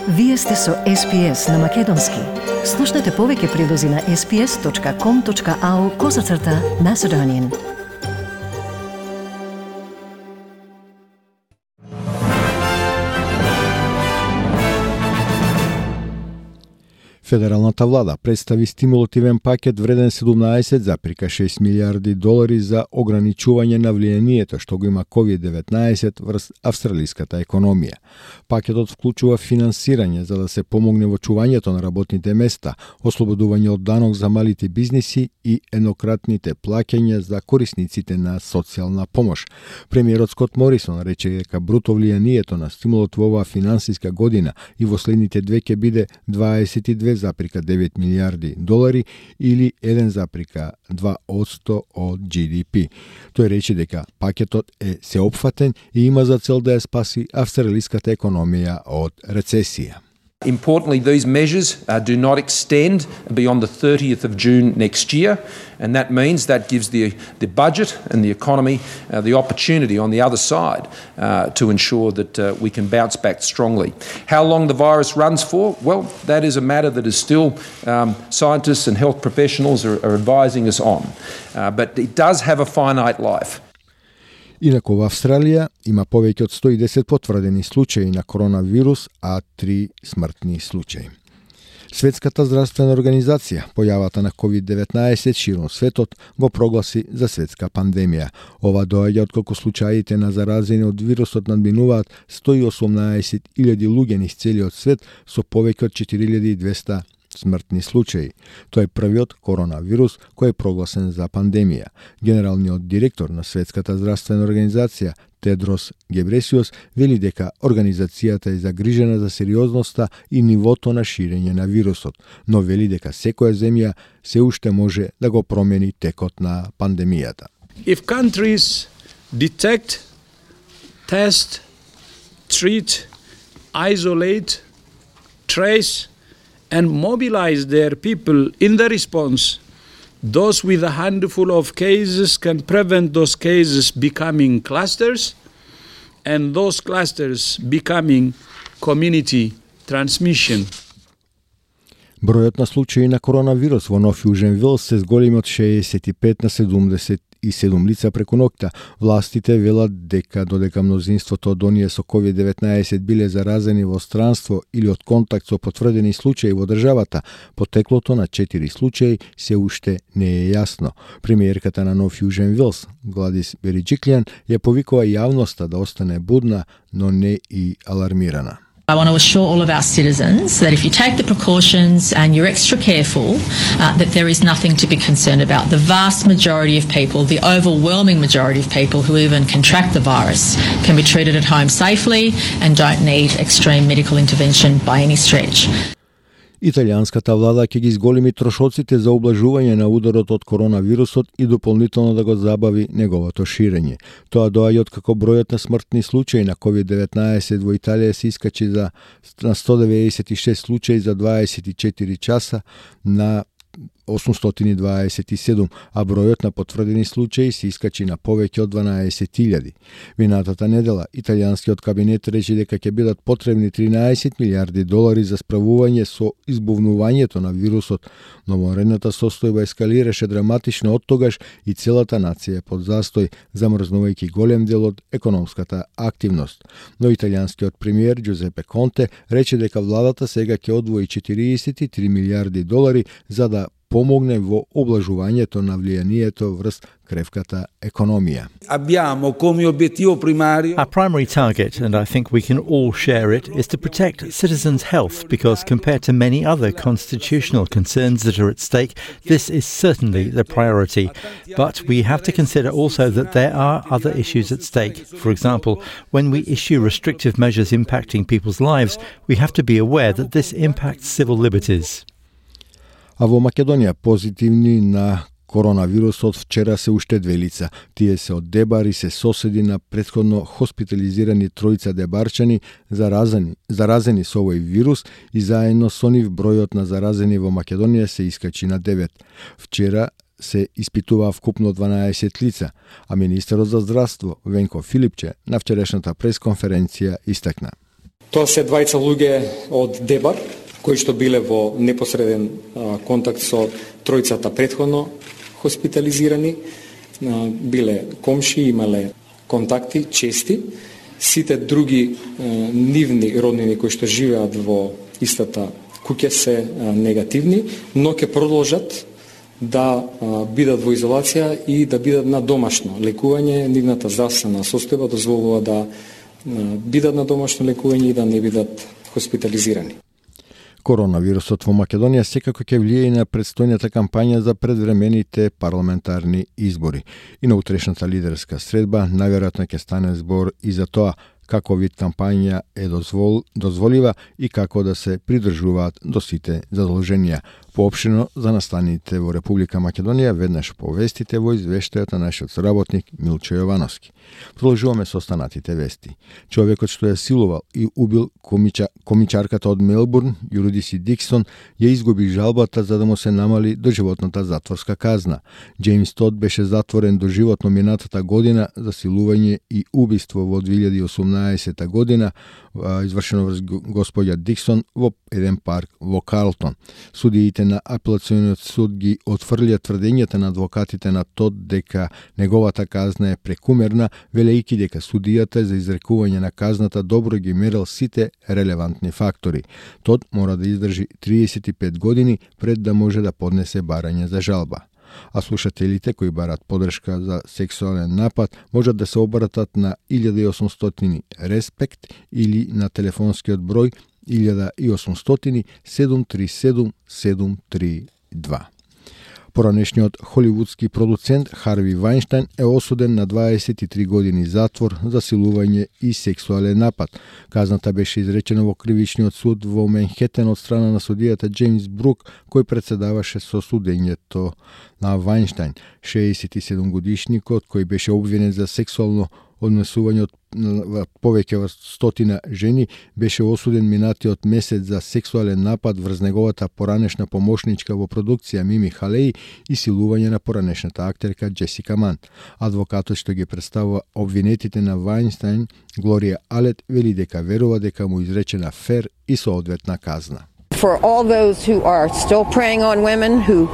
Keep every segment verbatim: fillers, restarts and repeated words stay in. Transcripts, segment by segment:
Вие сте со Ес Би Ес на Македонски. Слушнете повеќе прилози на ес би ес точка ком точка ау козацрта Macedonian. Федералната влада представи стимулативен пакет вреден седумнаесет зарез шест милиарди долари за ограничување на влијанието што го има ковид деветнаесет врз австралиската економија. Пакетот вклучува финансирање за да се помогне во чувањето на работните места, ослободување од данок за малите бизниси и еднократните плаќања за корисниците на социјална помош. Премиерот Скот Морисон рече дека бруто влијанието на стимулот во оваа финансиска година и во следните две ќе биде дваесет и две зарез девет милиарди долари или еден зарез два одсто од Джи Ди Пи. Тој рече дека пакетот е сеопфатен и има за цел да ја спаси австралиската економија од рецесија. Importantly, these measures uh, do not extend beyond the thirtieth of June next year, and that means that gives the, the budget and the economy uh, the opportunity on the other side uh, to ensure that uh, we can bounce back strongly. How long the virus runs for? Well, that is a matter that is still um, scientists and health professionals are, are advising us on, uh, but it does have a finite life. Инаку во Австралија има повеќе од сто и десет потврдени случаи на коронавирус, а три смртни случаи. Светската здравствена организација појавата на ковид деветнаесет широм светот го прогласи за светска пандемија. Ова доаѓа отколку случаите на заразени од вирусот надминуваат сто и осумнаесет илјади луѓе низ целиот свет со повеќе од четири илјади и двесте смртни случаи. Тој е првиот коронавирус кој е прогласен за пандемија. Генералниот директор на Светската здравствена организација Тедрос Гебресиус вели дека организацијата е загрижена за сериозноста и нивото на ширење на вирусот, но вели дека секоја земја се уште може да го промени текот на пандемијата. If countries detect, test, treat, isolate, trace and mobilize their people in the response, those with a handful of cases can prevent those cases becoming clusters and those clusters becoming community transmission. Бројот на случаи на коронавирус во Нов Јужен Велс се зголеми од шеесет и пет на седумдесет и седум лица преку ноќта. Властите велат дека додека мнозинството од оние со ковид деветнаесет биле заразени во странство или од контакт со потврдени случаи во државата, потеклото на четири случаи се уште не е јасно. Премиерката на Нов Јужен Велс, Гладис Бериџиклијан, ја повикува јавноста да остане будна, но не и алармирана. I want to assure all of our citizens that if you take the precautions and you're extra careful, uh, that there is nothing to be concerned about. The vast majority of people, the overwhelming majority of people who even contract the virus can be treated at home safely and don't need extreme medical intervention by any stretch. Италијанската влада ќе ги зголеми трошоците за ублажување на ударот од коронавирусот и дополнително да го забави неговото ширење. Тоа доаѓа од како бројот на смртни случаи на ковид деветнаесет во Италија се искачи за на сто деветдесет и шест случаи за дваесет и четири часа на осумстотини и дваесет и седум, а бројот на потврдени случаи се искачи на повеќе од дванаесет илјади. Минатата недела, италијанскиот кабинет рече дека ќе бидат потребни тринаесет милиарди долари за справување со избувнувањето на вирусот, но вонредната состојба ескалираше драматично оттогаш и целата нација е под застој, замрзнувајќи голем дел од економската активност. Но италијанскиот премиер Џузепе Конте рече дека владата сега ќе одвои четириесет и три милиарди долари за да помогне во облажувањето на влијанието врз кревката економија. Abbiamo come obiettivo primario. Our primary target, and I think we can all share it, is to protect citizens' health because compared to many other constitutional concerns that are at stake, this is certainly the priority. But we have to consider also that there are other issues at stake. For example, when we issue restrictive measures impacting people's lives, we have to be aware that this impacts civil liberties. А во Македонија позитивни на коронавирусот вчера се уште две лица. Тие се од Дебар и се соседи на претходно хоспитализирани тројца дебарчани заразени, заразени со овој вирус и заедно со нив бројот на заразени во Македонија се искачи на девет. Вчера се испитуваа вкупно дванаесет лица, а министерот за здравство Венко Филипче на вчерашната пресконференција истакна. Тоа се двајца луѓе од Дебар, кои што биле во непосреден а, контакт со тројцата претходно хоспитализирани, а, биле комши, имале контакти чести. Сите други а, нивни роднини кои што живеат во истата куќе се а, негативни, но ќе продолжат да а, бидат во изолација и да бидат на домашно лекување. Нивната здравствена состојба дозволува да а, бидат на домашно лекување и да не бидат хоспитализирани. Коронавирусот во Македонија секако ќе влијае и на предстојната кампања за предвремените парламентарни избори. И на утрешната лидерска средба најверојатно ќе стане збор и за тоа како вид кампања е дозвол, дозволива и како да се придржуваат до сите задолженија. Поопштено за настаните во Република Македонија веднаш по вестите во извештајот на нашиот соработник Милчо Јовановски. Продолжуваме со останатите вести. Човекот што ја силувал и убил комича, комичарката од Мелбурн, Юридиси Диксон, ја изгуби жалбата за да му се намали доживотната затворска казна. Джеймс Тод беше затворен доживотно минатата година за силување и убиство во две илјади и осумнаесета година, извршено врз господја Диксон во еден парк во Карлтон. Судиите на апелациониот суд ги отфрлија тврдењата на адвокатите на Тод дека неговата казна е прекумерна, велејќи дека судијата за изрекување на казната добро ги мерил сите релевантни фактори. Тод мора да издржи триесет и пет години пред да може да поднесе барање за жалба. А слушателите кои барат подршка за сексуален напад можат да се обратат на илјада и осумстотини Респект или на телефонскиот број илјада и осумстотини седум три седум седум три два. Поранешниот холивудски продуцент Харви Вајнштајн е осуден на дваесет и три години затвор за силување и сексуален напад. Казната беше изречена во кривичниот суд во Менхетен од страна на судијата Джеймс Брук, кој председаваше со судењето на Вајнштајн. шеесет и седум годишникот, кој беше обвинен за сексуално однесување од повеќе од стотина жени, беше осуден минатиот месец за сексуален напад врз неговата поранешна помошничка во продукција Мими Халеи и силување на поранешната актерка Джесика Ман. Адвокатот што ги представува обвинетите на Вајнштајн, Глорија Алет, вели дека верува дека му изречена фер и соодветна казна. For all those who are still preying on women, who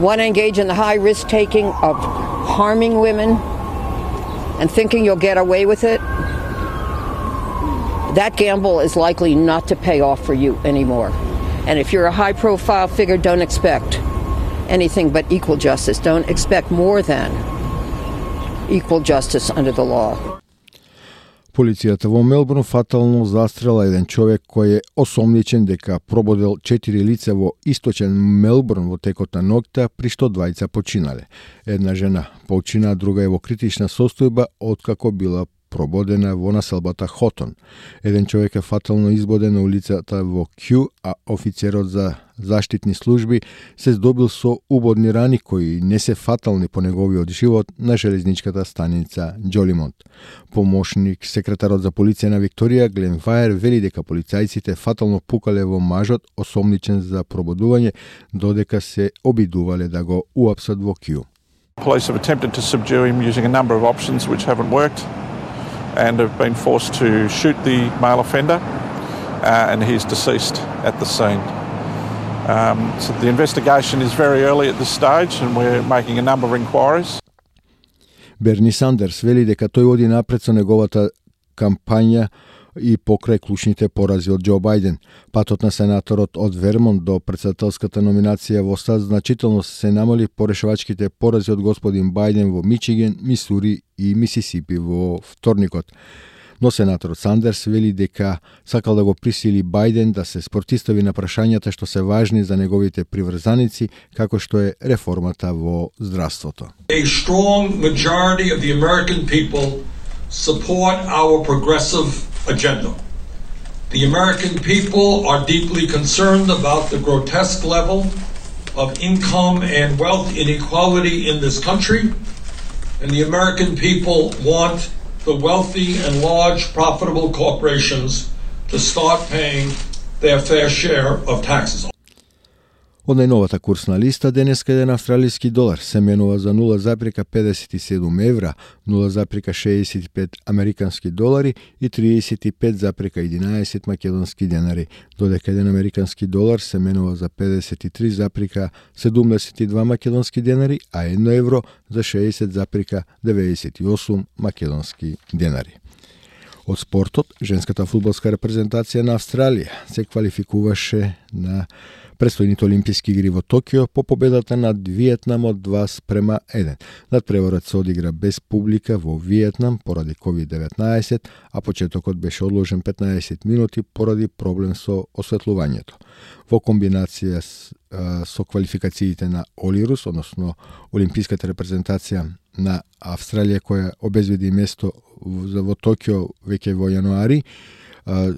want to engage in the high risk taking of harming women and thinking you'll get away with it, that gamble is likely not to pay off for you anymore. And if you're a high profile figure, don't expect anything but equal justice. Don't expect more than equal justice under the law. Полицијата во Мелбурн фатално застрела еден човек кој е осомничен дека прободел четири лица во источен Мелбурн во текот на ноќта, при што двајца починале. Една жена почина, друга е во критична состојба откако била прободена во населбата Хотон. Еден човек е фатално избоден на улицата во Кју, а офицерот за заштитни служби се здобил со убодни рани кои не се фатални по неговиот живот на железничката станица Џолимонт. Помошник секретарот за полиција на Викторија Глен Фаер вели дека полицајците фатално пукале во мажот осомничен за прободување, додека се обидувале да го уапсат во Кју. Police have attempted to subdue him using a number of options which haven't worked, and have been forced to shoot the male offender, uh, and he's deceased at the scene. Um, so the investigation is very early at this stage, and we're making a number of inquiries. Берни Сандерс вели дека тој оди напред со неговата кампања и покрај клучните порази од Џо Бајден. Патот на сенаторот од Вермонт до претседателската номинација во САД значително се намали по решавачките порази од господин Бајден во Мичиген, Мисури и Мисисипи во вторникот. Но сенаторот Сандерс вели дека сакал да го присили Бајден да се спротистави на прашањата што се важни за неговите приврзаници, како што е реформата во здравството. A strong majority of the American people support our progressive agenda. The American people are deeply concerned about the grotesque level of income and wealth inequality in this country, and the American people want the wealthy and large profitable corporations to start paying their fair share of taxes. Од најновата курсна листа, денеска еден австралиски долар се менува за нула запирка педесет и седум евра, нула запирка шеесет и пет американски долари и триесет и пет запирка единаесет македонски денари, додека еден американски долар се менува за педесет и три запирка седумдесет и два македонски денари, а едно евро за шеесет запирка деветдесет и осум македонски денари. Од спортот, женската фудбалска репрезентација на Австралија се квалификуваше на предстојните Олимписки игри во Токио по победата над Виетнам од два спрема еден. Надпреварот се одигра без публика во Виетнам поради ковид деветнаесет, а почетокот беше одложен петнаесет минути поради проблем со осветлувањето. Во комбинација со квалификациите на Олирус, односно Олимписката репрезентација на Австралија која обезбеди место во Токио веќе во јануари,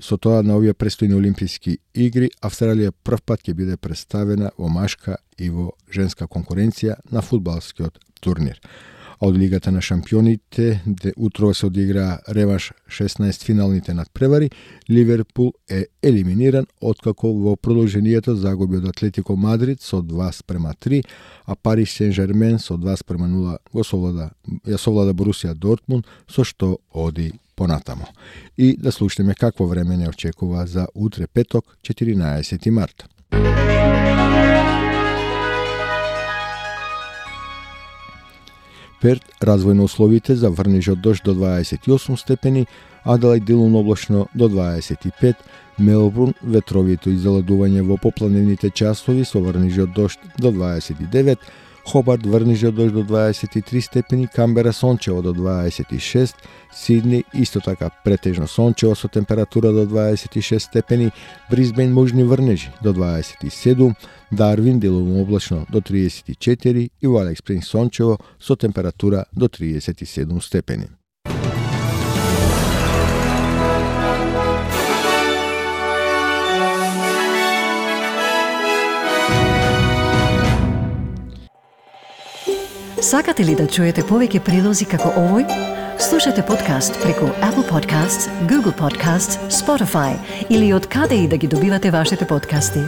со тоа на овие престојни Олимписки игри Австралија прв пат ќе биде представена во машка и во женска конкуренција на фудбалскиот турнир. А од Лигата на шампионите, де утрово се одигра реванш шеснаесет финалните надпревари, Ливерпул е елиминиран откако во продолжението загуби од Атлетико Мадрид со два спрема три, а Парис Сен-Жермен со два спрема нула го совлада, ја совлада Борусија Дортмунд, со што оди понатамо. И да слушнеме какво време не очекува за утре петок, четиринаесети март. Перт, развојно условите за врнеж од дожд до дваесет и осум степени, Аделаид делумно облачно до дваесет и пет, Мелбурн ветровито изоладување во попланевните часови со врнеж од дожд до дваесет и девет, Хобарт врнеж од дожд до дваесет и три степени, Камбера сончево до дваесет и шест, Сидни исто така претежно сончево со температура до дваесет и шест степени, Брисбен можни врнежи до дваесет и седум, Дарвин делумно облачно до триесет и четири и во Алекс Спрингс сончево со температура до триесет и седум степени. Сакате ли да чуете повеќе прилози како овој? Слушате подкаст преку Apple Podcasts, Google Podcasts, Spotify или од каде и да ги добивате вашите подкасти.